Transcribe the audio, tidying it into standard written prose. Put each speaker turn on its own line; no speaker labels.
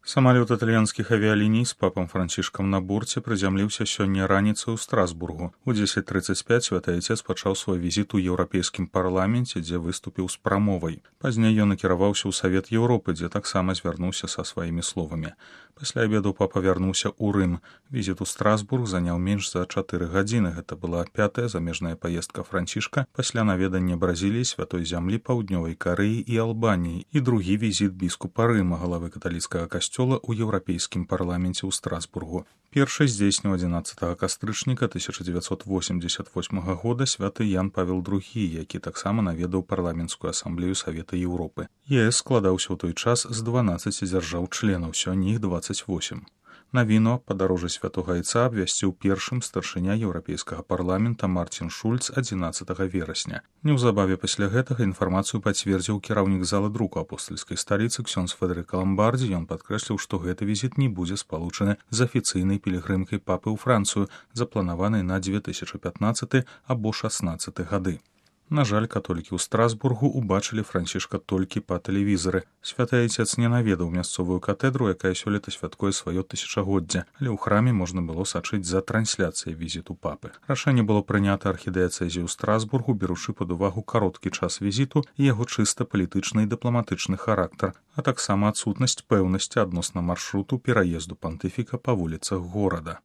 Самалёт італьянскіх авіяліній з папам Францішкам на борце прызямліўся сёння раніцай у Страсбургу. У 10:35 святы айцец пачаў свой візіт у Еўрапейскім парламенце, дзе выступіў з прамовай. Пазней ён накіраваўся ў Савет Еўропы, дзе таксама звярнуўся са сваімі словамі. Пасля абеду папа вярнуўся ў Рым. Візіт у Страсбург заняў менш за 4 гадзіны. Гэта была 5-я замежная паездка Францішка пасля наведання Бразіліі, Святой зямлі, Паўднёвай Карэі і Албаніі і другі візіт біскупа Рыма, галавы каталіцкага касцёла ў Еўрапейскім парламенце ў Страсбургу. Першы здзейсніў 11 кастрычніка 1988 года святы Ян Павел II, які таксама наведаў парламенцкую асамблею Савета Еўропы. ЕС складаўся ў той час з 12 дзяржаў-членаў, сёння іх 28. Навіну падарожжа святога айца абвясціў першым старшыня Еўрапейскага парламента Мартин Шульц 11 верасня. Неўзабаве пасля гэтага інфармацыю пацвердзіў кіраўнік зала друку апостальскай сталіцы ксёндз Федэрыка Ламбардзі. Ён падкрэсліў, што гэты візіт не будзе спалучаны з афіцыйнай пілігрымкай папы ў Францыю, запланаванай на 2015 або 16 гады. На жаль, католікі ў Страсбургу убачылі Францішка толькі па тэлевізары. Святы айцец не наведаў мясцовую катэдру, якая сёлета святкуе сваё тысячагоддзе, але ў храме можна было сачыць за трансляцыяй візіту папы. Рашэнне было прынята архідыяцэзіяй у Страсбургу, беручы пад увагу кароткі час візіту і яго чыста палітычны і дыпламатычны характар, а таксама адсутнасць пэўнасці адносна маршруту пераезду пантыфіка па вуліцах горада.